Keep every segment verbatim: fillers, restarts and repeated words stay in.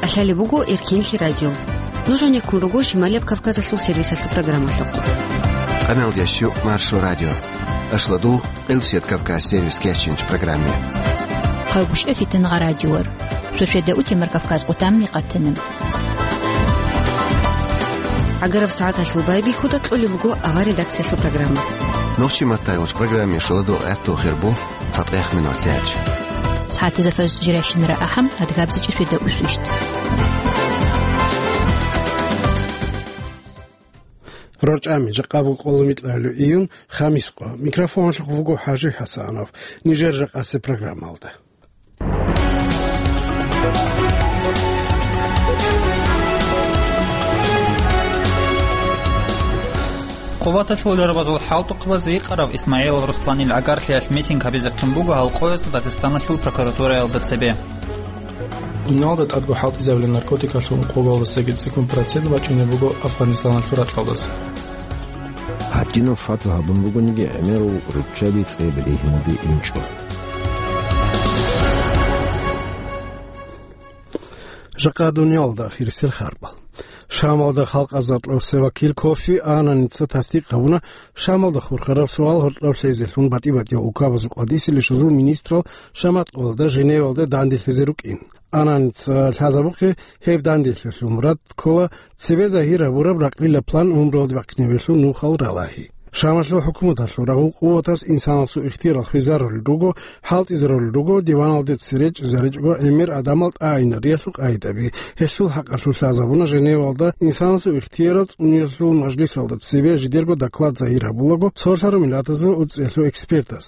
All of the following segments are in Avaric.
КӀалъалеб буго Эркенлъи радио. Нуж гьанеккун руго Шималияб Кавказалъул сервисалъул программалъухъ. Къаналдящу Маршо радио. Ашладул Къилсият Кавказ сервис кечинч программе. Хъавбушев Фитнагъа радиор. Сосведа утемар Кавказ къутамни къатана. ГӀагараб сагӀаталъул байбихьуда кьолеб буго авар редакциялъул программа. Нохчи маттайгъуч программе шуладу гӀатту хирбу цатӀех минут тяч. СагӀатизафаз жиращинара ахӀам, адгабзичӀи сосведа усвищ. РорчӀами жакъа буго къоло микьабилеб июнь, хамис къо. Микрофоналъухъ вуго ХӀажи ХӀасанов. Нижер жакъасеб программалда. Къуваталъул дарбазул хӀалтӀухъабаз викъарав Исмаилов Русланил гӀагарлъиялъ митинг гьабизехъин буго гьал къоязда Дагъистаналъул прокуратураялда цебе. Дуниялда тӀадго хӀалтӀизабилеб наркотикалъул ункъоялдасаги цӀикӀкӀун процент бачӀунеб буго Афганистаналъул ракьалдаса. ГьатӀинаб фатва гьабун бугониги, гӀемерал руччаби цӀе берегьинаде инчӀо. Жакъа дуниялда ахирисел харбал. Шамалда халкъазда кьурсе вакил Кофи Ананица тасдикъ гьабуна, Шамалда хурхараб суал гьоркьоб лъезелъун батӀи-батӀиял улкабазул къватӀисел ишазул министрал шаматкъоялда Женевалда данделъизе рукӀин. Ананица лъазабухъе гьеб данделъиялъул мурад ккола цебе загьир гьабураб ракьлила план гӀумруялде бахъинабиялъул нухал ралагьи. Шамалъул хӀукуматалъул рагъул къуватас инсанасул ихтиярал хвезарулел руго, хӀалтӀизарулел руго диваналде цере чӀезаричӀого гӀемер гӀадамал тӀагӀинариялъул къагӀидаби. Гьелъул хӀакъалъулъ лъазабуна Женевалда инсанасул ихтиярал цӀуниялъул мажлисалда цебе жидерго доклад загьир гьабулаго цолъараб миллатазул уцӀиялъул экспертас.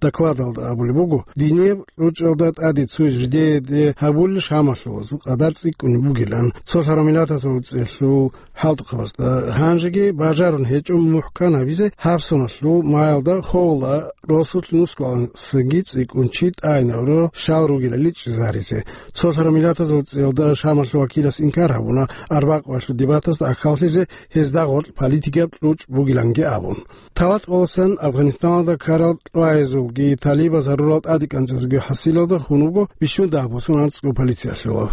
Докладалда абулеб буго, динияб ручӀалда тӀаде цо жидеде гьабулел шамалъулазул къадар цӀикӀкӀунеб бугилан, цолъараб миллатазул уцӀиялъул хӀалтӀухъабазда гьанжеги бажарун гьечӀо мухӀкан гьабизе гьаб соналъул маялда ховла росулъ нусгоялдасаги цӀикӀкӀун чи тӀагӀинавро щал ругелали чӀезаризе. Цолъараб миллатазул уцӀиялда шамалъул вакилас инкар гьабуна, арбакъоялъул дебатасда ахӀаллъизе гьезда гъоркь политикияб кьучӀ бугиланги абун. Талат къоласан Афганистаналда ккарал тӀваязулги талибаз гьарурал тӀадекӀанцӀазулги хӀасилалда хун вуго бищун дагь босун анцӀго полициялъулав.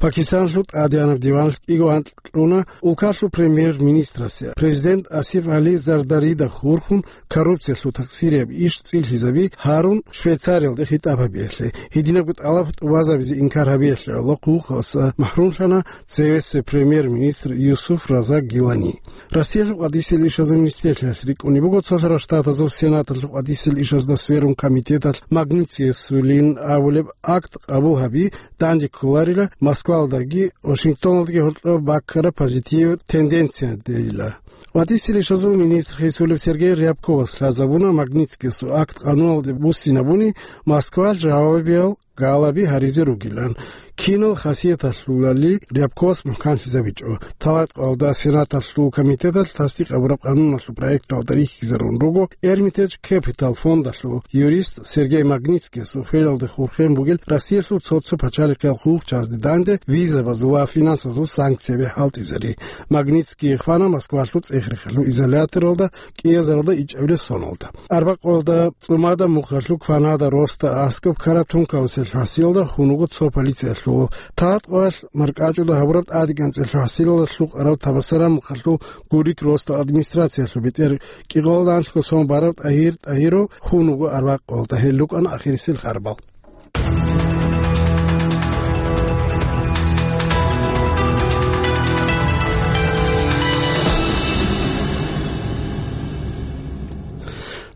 Пакистаналъул тӀадегӀанаб диваналъ кӀиго анкь кьуна улкалъул премьер-министрасе, президент Асиф Гьали Зардарида хурхун, коррупциялъул такъсирияб иш цӀилъизаби гьарун Швейцариялде хитӀаб гьабиялъе, гьединабго тӀалаб тӀубазабизе инкар гьабиялъе гӀоло хъулухъалъа махӀрумлъана цевесеб премьер-министр Юсуф Раза Гилани. Россиялъул къватӀисел ишазул министрлъиялъ рикӀкӀунеб буго цолъарал штатазул Сенаталъул къватӀисел ишазда сверун комитеталъ Магнитскийасулин абулеб акт къабул гьаби данде кколарила Москвалдаги Вашингтоналдаги гьоркьоб баккараб позитив тенденциядейила. КъватӀисел ишазул министр хисулеб Сергей Рябковас лъазабуна Магнитскийасул акт къануналде буссинабуни Москвалъ жавабиял галаби гьаризе ругилан. Кинал хасияталъулали Рябковас мухӀканлъизабичӀо. Талат къоялда Сенаталъул комитеталъ тасдикъ гьабураб къануналъул проекталда рихьизарун руго Эрмитедж Кепитал фондалъул юрист Сергей Магнитскиясул хвелалде хурхен бугел Россиялъул цо-цо пачалихъиял хъулухъчагӀазде данде визабазул ва финансазул санкцияби хӀалтӀизари. Магнитский хвана Москвалъул цӀех-рехалъул изоляторалда кӀиазаралда ичӀабилеб соналда. Арбакъоялда цӀумада мухъалъул кванада росда аскӀоб ккараб тункаусел хӀасилалда хун вуго цо полициялъулав. Талат къоялъ маркӀачӀуда гьабураб тӀадекӀанцӀелъул хӀасилалда лъукъараб Табасараб мухъалъул гурик росда администрациялъул бетӀер кӀикъоялда анлъго сон бараб ТӀагьир ТӀагьиров хун вуго арбакъоялда. Гьел рукӀана ахирисел харбал.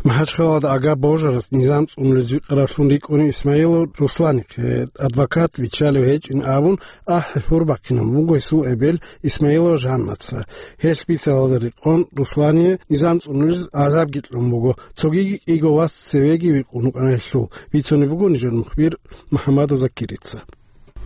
МахӀачхъалада Агаб божарас низам цӀунулез викъаравлъун рикӀкӀунев Исмаилов Русланихъе адвокат виччалев гьечӀин абун, ахӀи-хӀур бахъинабун буго гьесул эбел Исмаилова Жаннаца. Гьелъ бицаралда рекъон Руслание низам цӀунулез гӀазабги кьун буго, цогиги кӀиго вас цевеги викъун вукӀана гьелъул, бицунеб буго нижер мухбир МухӀамадов Закирица.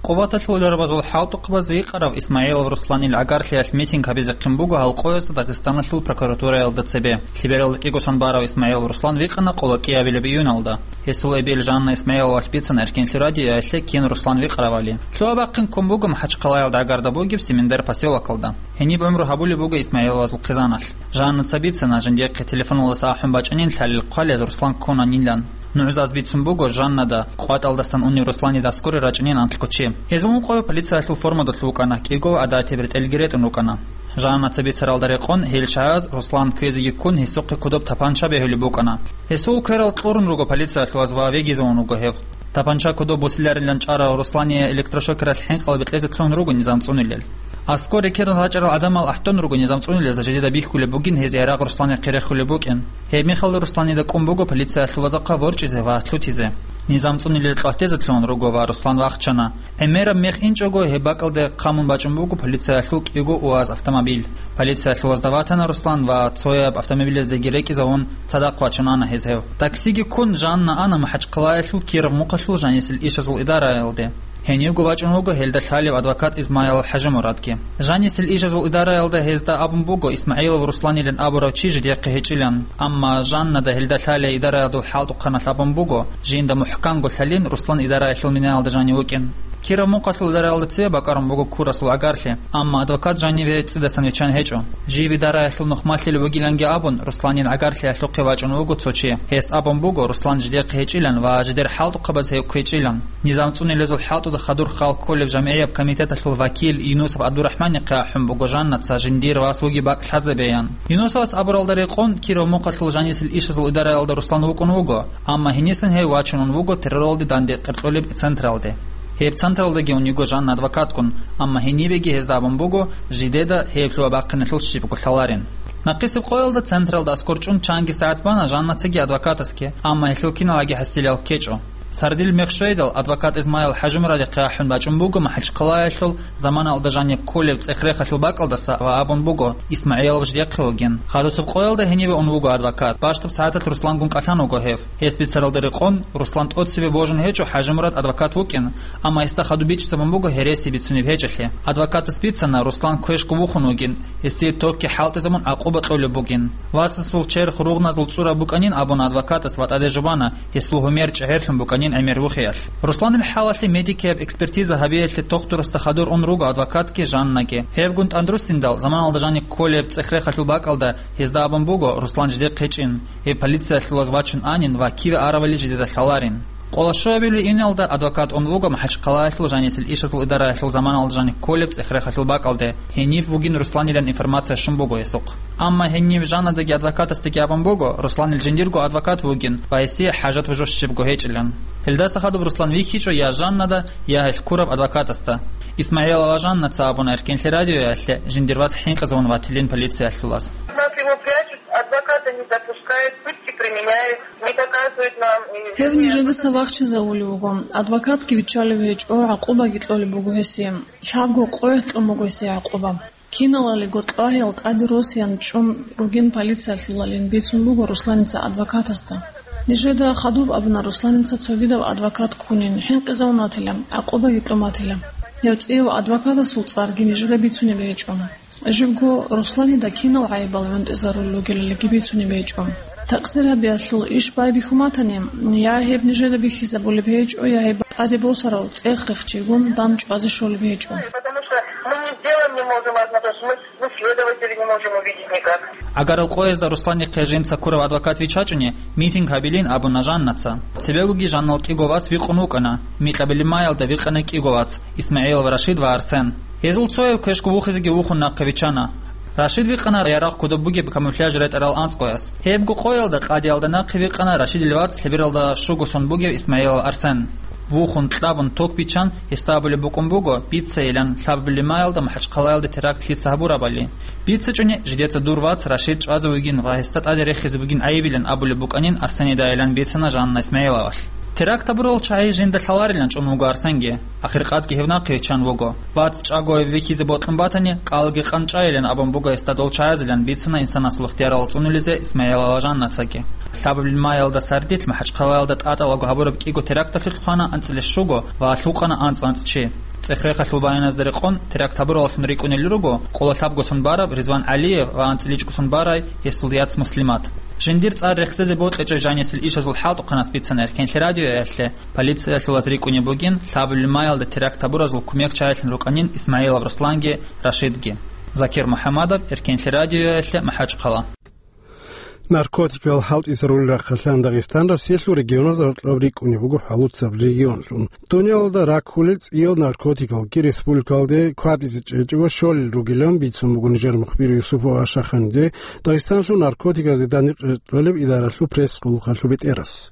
Къуваталъул дарбазул хӀалтӀухъабаз викъарав Исмаилов Русланил гӀагарлъиялъ митинг гьабизехъин буго гьал къоязда Дагъистаналъул прокуратураялда цебе. Лъебералда кӀиго сон барав Исмаилов Руслан викъана къоло кӀиабилеб июналда. Гьесул эбел Жанна Исмаиловалъ бицана Эркенлъи радиоялъе кин Руслан викъаравали. Лъугьа-бахъин ккун буго МахӀачхъалаялда гӀагарда бугеб Семендар поселокалда. Гьениб гӀумру гьабулеб буго Исмаиловазул хъизаналъ. Жаннаца бицана жиндихъе телефоналдаса ахӀун бачӀанин лъалел хъвалел Руслан ккунанилан. НугӀзаз бицун буго Жаннада, къватӀалдасан унев Русланида аскоре рачӀинин анлъго чи. Гьезул ункъояв полициялъул формадалъ вукӀана, кӀиго гӀадатиб ретӀелги ретӀун рукӀана. Жаннаца бицаралда рекъон, гьел чагӀаз Руслан кквезеги ккун, гьесухъе кодоб тапанча бегьулеб букӀана. Гьесул кверал кьурун руго полициялъулаз ва вегизавун вуго гьев. Тапанча кодоб бусиларилан чӀарав Руслание электрошокералъ хӀинкъал бекьезе лъун руго низам цӀунилел. Аскоре ккедан рачӀарал гӀадамал ахӀдон руго низам цӀунилезда жидеда бихьулеб бугин гьезие рагъ Русланихъе рехулеб букӀин. Гьеб мехалда Русланида кӀун буго полициялъулазухъа ворчӀизе ва лъутизе. Низам цӀунилел кьватезе лъун руго ва Руслан вахчана. ГӀемераб мех инчӀого гьеб бакӀалде хъамун бачӀун буго полициялъул кӀиго УАЗ автомобиль. Полициялъулазда ватана Руслан ва цояб автомобилездеги рекӀизавун цадахъ вачун ана гьез гьев. Таксиги ккун Жанна ана МахӀачхъалаялъул Киров мухъалъул жанисел ишазул идараялде. Гьенивго вачӀун вуго гьелда лъалев адвокат Исмаилов ХӀажимурадги. Жанисел ишазул идараялда гьезда абун буго ИсмагӀилов Русланилан абурав чи жидехъе гьечӀилан, амма Жаннада гьелда лъалей идараялдул хӀалтӀухъаналъ абун буго, жинда мухӀканго лъалин Руслан идараялъул минаялда жанив вукӀин. Киров мухъалъул идараялда цеве бакӀарун буго ккурасул гӀагарлъи, амма адвокат жаниве цӀидасан виччан гьечӀо. Жив идараялъул нухмалъил вугиланги абун, Русланил гӀагарлъиялъухъе вачӀун вуго цо чи. Гьес абун буго, Руслан жидехъе гьечӀилан ва жидер хӀалтӀухъабаз гьев кквечӀилан. Низам цӀунилезул хӀалтӀуда хадур халкъ кколеб жамгӀияб комитеталъул вакил Юнусов ГӀабдурахӀманихъе ахӀун буго Жаннаца жиндир вас вугеб бакӀ лъазабеян. Юнусовас абуралда рекъон, Киров мухъалъул жанисел ишазул идараялда Руслан вукӀун вуго, амма гьенисан гьев вачунун вуго терроралде данде къеркьулеб централде. Гьеб централдаги ун йиго Жанна адвокатгун, амма гьенибеги гьезда абун буго, жидеда гьеб лъугьа-бахъиналъул щибго лъаларин. Нахъисеб къоялда централда аскӀор чӀун чанги сагӀат бана Жаннацаги адвокатасги, амма гьелъул киналги хӀасилал ккечӀо. Сардил мех щвейдал, адвокат Исмаил ХӀажимурадихъе ахӀун бачӀун буго МахӀачхъалаялъул заманалда жаниб кколеб цӀех-рехалъул бакӀалдаса ва абун буго, ИсмагӀилов жидехъе вугин. Хадусеб къоялда гьениве ун вуго адвокат. Бащдаб сагӀаталъ Руслангун кӀалъан вуго гьев. Гьес бицаралда рекъон, Руслан тӀоцеве божун гьечӀо ХӀажимурад адвокат вукӀин, амма гьесда хадуб бичӀчӀизабун буго гьереси бицунеб гьечӀелъи. Адвокатас бицана, Руслан квешго вухун вугин, гьесие токги хӀалтӀизабун гӀакъуба кьолеб бугин. Васасул черх ругъназул цӀураб букӀанин абун адвокатас ва тӀаде жубана, гьесул гьумер чӀегӀерлъун букӀанин гӀемер вухиялъ. Русланил хӀалалъе медикияб экспертиза гьабиялъе тохтурасда хадур ун руго адвокатги Жаннаги. Гьевгун тӀадруссиндал, заманалда жаниб кколеб цӀех-рехалъул бакӀалда гьезда абун буго Руслан жидехъе гьечӀин, гьев полициялъулаз вачун анин ва киве аравали жидеда лъаларин. Къоло щуабилеб июналда адвокат ун вуго МахӀачхъалаялъул жанисел ишазул идараялъул заманалда жаниб кколеб цӀех-рехалъул бакӀалде, гьенив вугин Русланилан информация щун буго гьесухъ. Амма гьенив Жаннадаги адвокатасдаги абун буго, Русланил жиндирго адвокат вугин ва гьесие хӀажат бужо щибго гьечӀилан. Гьелдаса хадуб Руслан вихьичӀо я Жаннада, я гьелъ ккураб адвокатасда. ИсмагӀилова Жаннаца абуна Эркенлъи радиоялъе жиндир вас хӀинкъизавун ватилин полициялъулаз. Нас его прячут, адвоката не допускают, пытки применяют, не показывают нам. И Гьев нижедаса вахчизавулев вуго, адвокатги виччалев гьечӀо, гӀакъубаги кьолеб буго гьесие. Лъабго къоялъ кьун буго гьесие гӀакъуба. Киналалиго кьвагьал тӀаде росиян чӀун ругин полициялъулалин бицун буго Русланица адвокатасда. Нижеда хадуб абуна Русланица цогидав адвокат ккунин, хӀинкъизавун ватила, гӀакъубаги кьун батила. Гьев цӀияв адвокатасул цӀарги нижеда бицунеб гьечӀо. Живго Русланида кинал гӀайибал гӀунтӀизарулел ругелалиги бицунеб гьечӀо. Такъсир гьабиялъул иш байбихьун батани, я гьеб нижеда бихьизабулеб гьечӀо, я гьеб тӀаде босарав цӀех-рехчигун дандчӀвазе щолеб гьечӀо. Потому что мы не сделаем, не можем однако, мы, мы следователей не можем увидеть никак. Агарал къоязда Русланихъе жинца ккурав адвокат виччачӀони, митинг гьабилин абуна Жаннаца. Цебегоги Жаннал кӀиго вас вихъун вукӀана, Микьабилимаялда вихъана кӀиго вац, Исмагьилов Рашид ва Арсен. Гьезул цояв квешго вухизеги вухун нахъе виччана. Рашид вихъана ярагъ кодоб бугеб камуфляж ретӀарал анцӀгояс. Гьебго къоялда къадиялда нахъе вихъана Рашидил вац лъебералда щуго сон бугев Исмагьилов Арсен. Вухун, кьабун, ток биччан, гьесда абулеб букӀун буго, бицайилан, лъабабилеб маялда МахӀачхъалаялда теракт лъица гьабурабали. БицачӀони, жидеца дур вац Рашид чӀвазе вугин ва гьесда тӀаде рехизе бугин гӀайибилан абулеб букӀанин Арсенидайилан бицана Жанна Исмагьиловалъ. Теракт гьабурал чагӀи жинда лъаларилан чӀун вуго Арсенги. Ахиркъадги гьев нахъе виччан вуго. Вац чӀаго вихьизе бокьун батани, кӀалги къанчӀайилан абун буго гьесда дол чагӀазилан бицана инсанасул ихтиярал цӀунулизе Исмагьилова Жаннацаги. Лъабабилеб маялда сардилъ МахӀачхъалаялда тӀатӀалаго гьабураб кӀиго теракталъулъ хвана анцӀила щуго ва лъукъана анцӀ-анцӀ чи. ЦӀех-рехалъул баяназда рекъон, теракт гьабураллъун рикӀкӀунел руго къоло лъабго сон бараб Ризван ГӀалиев ва анцӀила чӀуго сон барай гьесул яц Муслимат. Жиндир цӀар рехсезе бокьичӀеб жанисел ишазул хӀалтӀухъанас бицана Эркенлъи радиоялъе, полициялъулаз рикӀкӀунеб бугин лъабабилеб маялда теракт гьабуразул кумекчагӀилъун рукӀанин Исмагьилов Русланги Рашидги. Закир МухӀамадов, Эркенлъи радиоялъе, МахӀачхъала. Наркотикал хӀалтӀизарулел рахъалъан Дагъистан Россиялъул регионазда гьоркьоб рикӀкӀунеб буго хӀалуцаб регионлъун. Дуниялалда раккулел цӀиял наркотикалги республикалде кватӀизе чӀечӀого щолел ругилан бицун буго нижер мухбир Юсупов Ашаханиде Дагъистаналъул наркотиказде данде кьолеб идаралъул пресс-къулухъалъул бетӀерас.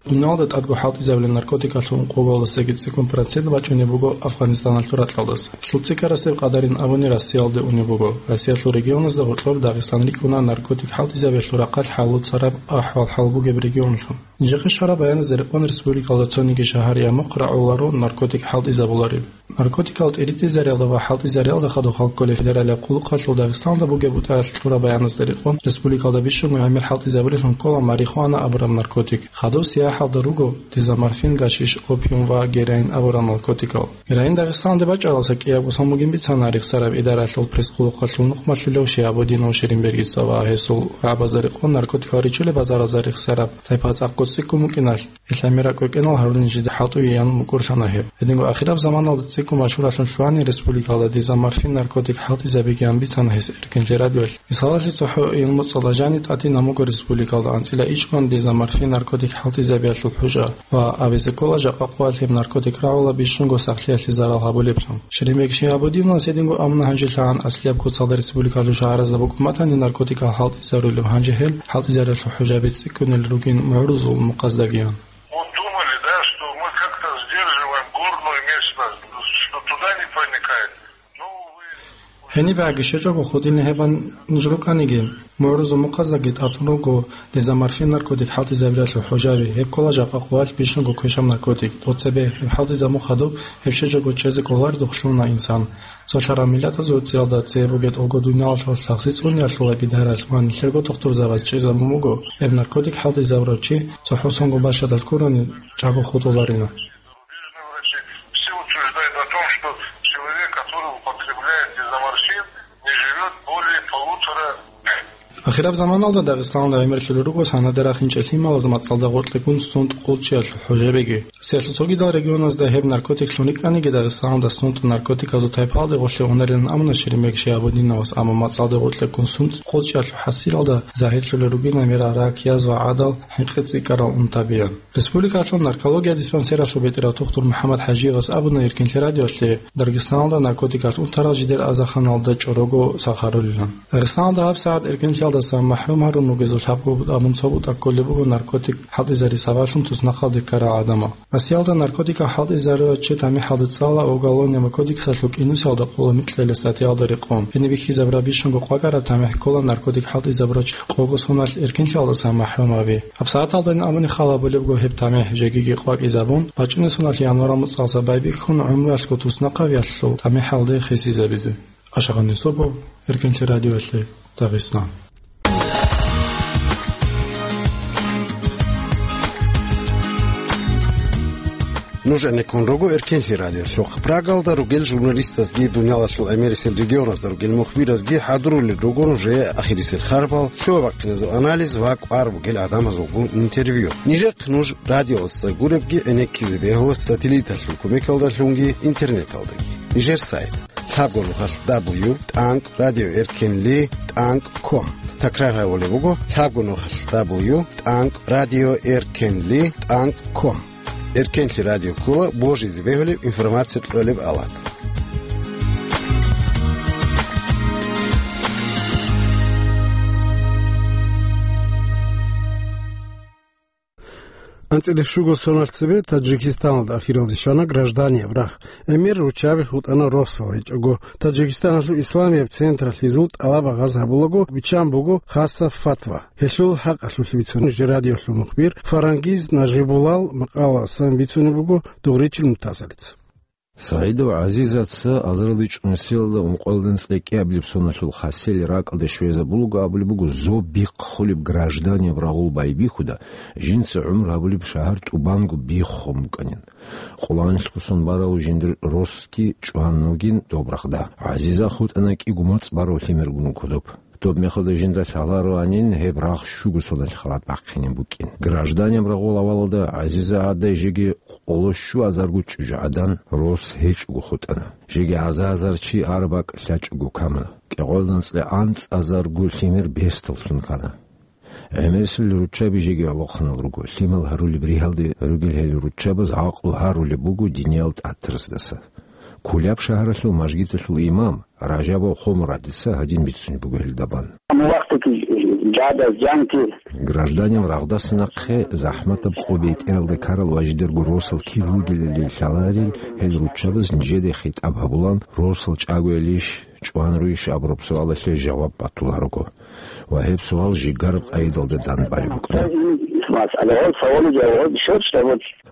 Дуниялда тӀадго хӀалтӀизабилел наркотикалъул ункъоялдасаги цӀикӀкӀун процент бачӀунеб буго Афганистаналъул ракьалдаса. Лъуццикарасеб къадарин абуни Россиялде унеб буго. Россиялъул регионазда гьоркьоб Дагъистан рикӀкӀуна наркотик хӀалтӀизабиялъул рахъалъ хӀалуцараб ахӀвал-хӀал бугеб регионлъун. Нижехъе щвараб баяназда рекъон республикалда цониги шагьар я мухъ рагӀуларо наркотик хӀалтӀизабулареб. Наркотикал тӀиритӀизариялда ва хӀалтӀизариялда хадуб халкколеб федералияб къулухъалъул Дагъистаналда бугеб бутӀаялъ кьураб баяназда рекъон, республикалда бищунго гӀемер хӀалтӀизабулелъун ккола марихуана абураб наркотик. Хадуб сияхӀалда руго дезоморфин, гашиш, опиум ва героин абурал наркотикал. Героин Дагъистаналде бачӀаралдаса кӀиябго сон бугин бицана рехсараб идаралъул пресс-къулухъалъул нухмалъулев Шиабудинов Ширинбергица ва гьесул рагӀабазда рекъон наркотикал ричулеб базаралда рехсараб тайпа цӀакъго цӀикӀкӀун букӀиналъ, ГӀиса миракӀ кӀвекӀинал гьарулин жиде хӀалтӀуе ян мукӀурлъана гьеб. Гьединго ахираб заманалда цӀикӀкӀун машгьурлъун лъугьани республикалда дезоморфин наркотик хӀалтӀизабиги ан бицана гьес Эркенлъи радиоялъ. Мисалалъе, цохӀо июль моцӀалда жани тӀатинаб буго республикалда анцӀила ичӀгӀун дезоморфин наркотик хӀалтӀизабиялъул хӀужа ва абизе ккола жакъа къоялъ гьеб наркотик рагӀула бищунго сахлъиялъе зарал гьабулеблъун. Ширинбег Шиабудиновас гьединго абуна гьанже лъагӀан аслияб куцалда республикалъул шагьаразда букӀун батани наркотикал хӀалтӀизарулеб, гьанже гьел хӀалтӀизаралъул хӀужаби цӀикӀкӀунел ругин мугӀрузул мухъаздагиян. Вот думали, да, что мы как-то сдерживаем горную местность, что туда не проникает. Ну, увы. Гьениб гӀаги щвечӀого хутӀилин гьебан ниж рукӀаниги, мугӀрузул мухъаздаги тӀатун руго дезоморфин наркотик хӀалтӀизабиялъул хӀужаби, гьеб ккола жакъа къоялъ бищунго квешаб наркотик. ТӀоцебе гьеб хӀалтӀизабун хадуб, гьеб щвечӀого чӀезе кӀолареб духълъуна инсан. Цолъарал миллатазул цӀиялда цебе бугеб тӀолго дуниялалъул лъагӀзи цӀунеялъула бидаралъ ва нилъерго тухтурзабаз чӀезабун буго, гьеб наркотик хӀалтӀизабурав чи цохӀо сонго бащадалъ ккурани чӀаго хутӀуларина. Зарубежные врачи все утверждают о том, что человек, который употребляет дезоморфин, не живет более полутора дней. Ахираб заманалда Дагъистаналда гӀемерлъулел руго санадерахинчӀел лъималаз мацӀалда гъоркьегун сунтӀ-хъулчӀиялъул хӀужабиги. Россиялъул цогидал регионазда гьеб наркотиклъун рикӀкӀаниги, Дагъистаналда сунтӀ наркотиказул тайпаялде гъорлъе унарилан абуна Ширинбег Шиабудиновас, амма мацӀалде гъоркьегун сунтӀ-хъулчӀиялъул хӀасилалда загьирлъулел ругин гӀемерал рак, язва, гӀадал, хӀинкъи цӀикӀкӀарал унтабиян. Республикалъул наркология диспансералъул бетӀерав тухтур МухӀаммад ХӀажиевас абуна Эркенлъи радиоялъе, Даргисталда наркотикалъ унтарал жидер азарханалда чӀорого сахарулилан. Дагъистаналда гьабсагӀат эркенлъиялдаса махӀрум гьарун ругезул лъабго бутӀа мун цо бутӀа кколеб буго наркотик хӀалтӀизари сабаблъун туснахъалде ккарал гӀадамал. Россиялда наркотикал хӀалтӀизарулев чи тамихӀалда цӀала Уголовный кодексалъул кӀинусиялда къоло микьила статьяялда рекъон. Гьениб бихьизабураб бищунго къвакӀараб тамихӀ ккола наркотик хӀалтӀизабурав чи къого соналъ эркенлъиялдаса махӀрум гьави. ГьабсагӀаталдайин абуни хал гьабулебго гьеб тамихӀ жегиги къвакӀизабун, бачӀунеб соналъ январал моцӀалдаса байбихьун гӀумруялъго туснахъавиялъул тамихӀалде хисизабизе. Ашагъан Юсупов, Эркенлъи радиоялъе, Дагъистан. Нуж гӀенеккун руго Эркенлъи радиолъухъ. Прагалда ругел журналистазги, дуниялалъул гӀемерисел регионазда ругел мухбиразги хӀадурулел руго нужее ахирисел харбал, лъугьа-бахъиназул анализ ва кӀвар бугел гӀадамазулгун интервью. Нижехъ нуж радиоялдаса гуребги гӀенеккизе бегьула сателлиталъул кумекалдалъунги интернеталдаги. Нижер сайт: лъабго нухалъ дабл ю тӀанкӀ радио эркенли тӀанкӀ ком. Такрар гьабулеб буго: лъабго нухалъ дабл ю тӀанкӀ радио эркенли тӀанкӀ ком. Эркенлъи радио ккола божизе бегьулеб информация кьолеб алат. АнцӀила щуго соналъ цебе Таджикистаналда ахиралде щвана гражданияб рагъ. Эмер руччаби хутӀана росал гьечӀого. Таджикистаналъул исламияб централъ гьезул тӀалаб гьабулаго биччан буго хасаб фатва. Гьелъул хӀакъалъулъ бицун жи радиолъул мухбир Фарангиз Нажибулал макъаласан бицунеб буго Дугъричил Мутасалица. СагӀидов ГӀазизаца азарилда чӀунусиялда ункъоялда анцӀила кӀиабилеб соналъул хасел ракӀалде щвезабулаго абулеб буго, зоб бихъулеб гражданияб рагъул байбихьуда, жинца гӀумру гьабулеб шагьар тӀубанго биххун букӀанин. Къуланиялъго сон барав жиндир росги чӀван вугин доб рагъда. ГӀазиза хутӀана кӀиго мацӀ барав лъимергун кодоб. Доб мехалда жинда лъалароанин гьеб рагъ щуго соналъ халат бахъинин букӀин. Гражданияб рагъул авалалда ГӀазиза гӀадай жеги къоло щуазарго чӀужугӀадан рос гьечӀого хутӀана. Жеги гӀаза-гӀазар чи гьар бакӀ лъачӀого камана. КӀикъоялда анцӀила анцӀазарго лъимер бесдаллъун ккана. ГӀемерисел руччаби жеги гӀолохъанал руго, лъимал гьарулеб ригьалде ругел гьел руччабаз гӀакълу гьарулеб буго диниял тӀатараздаса. Куляб шагьаралъул мажгиталъул имам Ражабов Хомурадица гьадин бицунеб буго гьелда бан. Гражданин рагъдаса нахъе захӀматаб къо бетӀералда ккарал ва жидерго росал кир ругелали лъаларел гьел руччабаз нижеде хитӀаб гьабулан, росал чӀагоялищ, чӀван руйищ абураб суалалъе жаваб батуларого. Ва гьеб суал жигараб къайдалда данбалеб букӀана.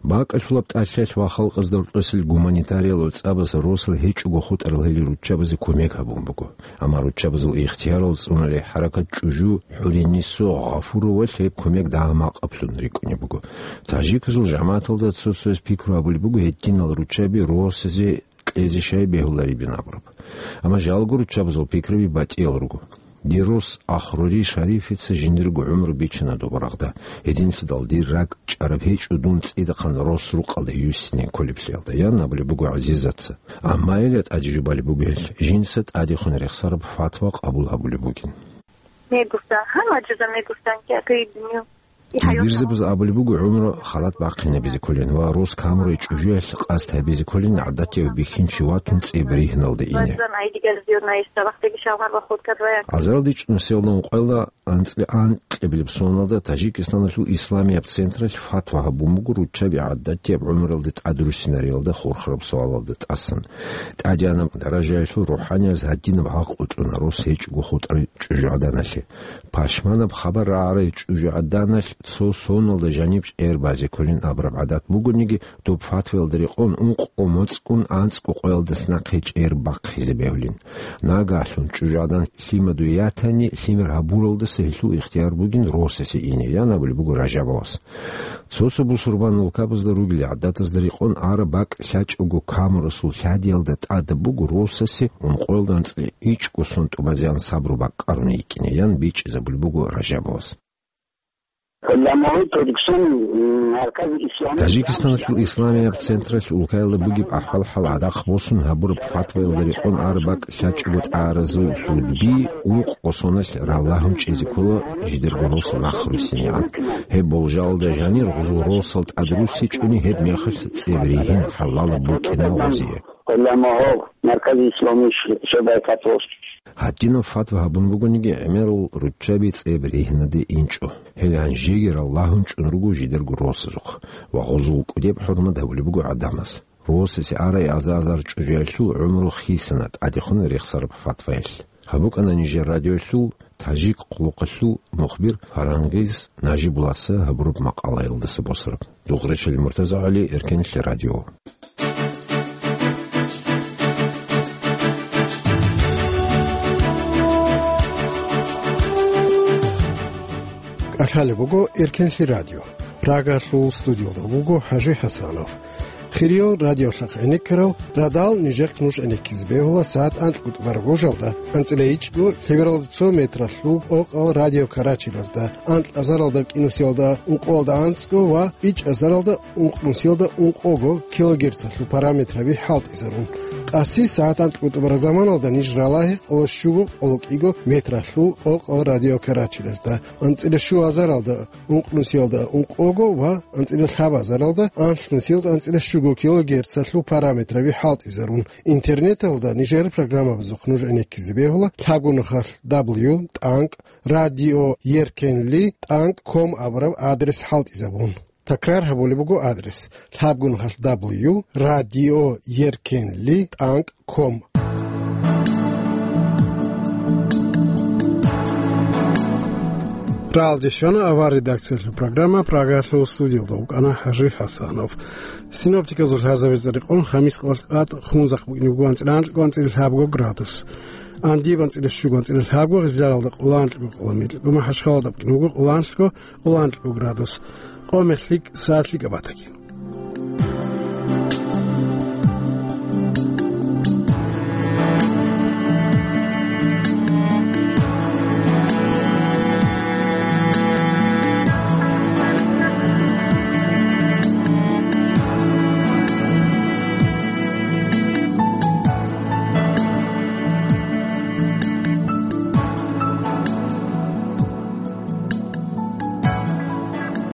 БакӀалъулаб тӀалъиялъ ва халкъазда рукъосел гуманитариял цӀабаз росал гьечӀого хутӀарал гьел руччабазе кумек гьабун буго. Амма руччабазул ихтиярал цӀуналей хӀаракат чӀужу ХӀуринисо Гъафуровалъ гьеб кумек дагьа-макъаблъун рикӀкӀунеб буго. Тажиказул жамагӀаталда цо-цояс пикру гьабулеб буго гьединал руччаби росазе кьезе щай бегьуларебин абураб. Амма жалго руччабазул пикраби батӀиял руго. Дир рос Ахрури Шарифица жиндирго гӀумру бичана доба рагъда. Гьединлъидал дир ракӀ чӀараб гьечӀо дун цӀидахъан рос рукъалда юссине кколеблъиялда, ян абулеб буго ГӀазизатца. Амма гьелда тӀаде жубалеб буго гьел, жинца тӀадехун рехсараб фатва къабул гьабулеб бугин. Мегуса, гьанна жуза мегусан кӀа кайдиню. Дибирзабаз абулеб буго гӀумру халат бахъинабизе кколин ва рос камурай чӀужуялъ къасд гьабизе кколин гӀадатияв бихьинчи ватун цӀеб ригьналда ине. Азарал дичӀ нусиялда ункъоялда анцӀила анкьабилеб соналда Тажикистаналъул исламияб централъ фатва гьабун буго руччаби гӀадатияб гӀумралде тӀадруссинариялда хурхараб суалалда тӀасан. ТӀадегӀанаб даражаялъул рухӀаниябаз гьадинаб гӀакълу кьуна рос гьечӀого хутӀарай чӀужугӀаданалъе. Пашманаб хабар рагӀарай чӀужугӀаданалъ цо соналда жаниб чӀер базе кколин абураб гӀадат бугониги, доб фатваялда рекъон ункъо моцӀгун анцӀго къоялдаса нахъе чӀер бахъизе бегьулин. Нагагьлъун чӀужугӀадан лъимаду ятани, лъимер гьабуралдаса гьелъул ихтияр бугин росасе ине, ян абулеб буго Ражабовас. Цо-цо бусурбан улкабазда ругел гӀадатазда рекъон араб бакӀ лъачӀого камурасул лъадиялда тӀадаб буго росасе ункъоялда анцӀила ичӀго сон тӀубазеян сабру бакӀ кӀаруна йикӀине, ян бичӀчӀизабулеб буго Ражабовас. Тажикистаналъул исламияб централъ улкаялда бугеб ахӀвал-хӀал гӀадахъ босун гьабураб фатваялда рекъон араб бакӀ лъачӀого тӀагӀаразул хӀудби ункъго соналъ ралагьун чӀезе ккола жидерго росал нахъруссинегӀан. Гьеб болжалда жанир гъузул росал тӀадруссичӀони гьеб мехалъ цӀеб ригьин хӀалалаб букӀина гъозие. Гьадинаб фатва гьабун бугониги, гӀемерал руччаби цӀеб ригьинаде инчӀо. Гьел гьанжеги ралагьун чӀун руго жидерго росазухъ ва гъузул кӀудеб хӀурмат гьабулеб буго гӀадамаз. Росасе арай аза-азар чӀужуялъул гӀумру хисана тӀадехун рехсараб фатваялъ. Гьаб букӀана нижер радиоялъул тажик хъулухъалъул мухбир Фарангиз Нажибулласа гьабураб макъалаялдаса босараб. Дугъречали МуртазагӀали, Эркенлъи радио. КӀалъалеб буго Эркенлъи радио. Прагалъул студиялда вуго ХӀажи ХӀасанов. Хириял радиолъахъ гӀенеккарал радал нижехъ нуж гӀенеккизе бегьула сагӀат анкьго тӀубараб гожалда, анцӀила ичӀго лъебералда цо метралъул къокъал радио Карачилазда, анкь азаралда кӀинусиялда ункъоялда анцӀго ва ичӀ азаралда ункънусиялда ункъого килогерцалъул параметраби хӀалтӀизарун. Къаси сагӀат анкьго тӀубараб заманалда ниж ралагье къоло щуго къоло кӀиго метралъул къокъал радио Карачилазда, анцӀила щу азаралда ункънусиялда ункъого ва анцӀила лъабазаралда анлънусиялда анцӀила щуго килогерцалъул параметраби хӀалтӀизарун. Интернеталда нижер программабазухъ нуж гӀенеккизе бегьула лъабгун нухалъ дабл ю тӀанкӀ радио еркенли тӀанкӀ ком абураб адрес хӀалтӀизабун. Такрар гьабулеб буго адрес: лъабгун нухалъ дабл ю радио еркенли тӀанкӀ ком. Ралде щвана авар редакциялъул программа, Прагалъул студиялда вукӀана ХӀажи ХӀасанов. Синоптиказул лъазабиз рекъон, хамис къолъ къад хунзахъ букӀине буго анцӀила анкьго, анцӀила лъабго градус. Андиб анцӀила щуго, анцӀила лъабго, Гъизларалда къоло анкьго, къоло мекьго, МахӀашхаладаб букӀине буго къоло анкьго, къоло анкьго градус. Къо мехлъи саат лъикӀаб батаги.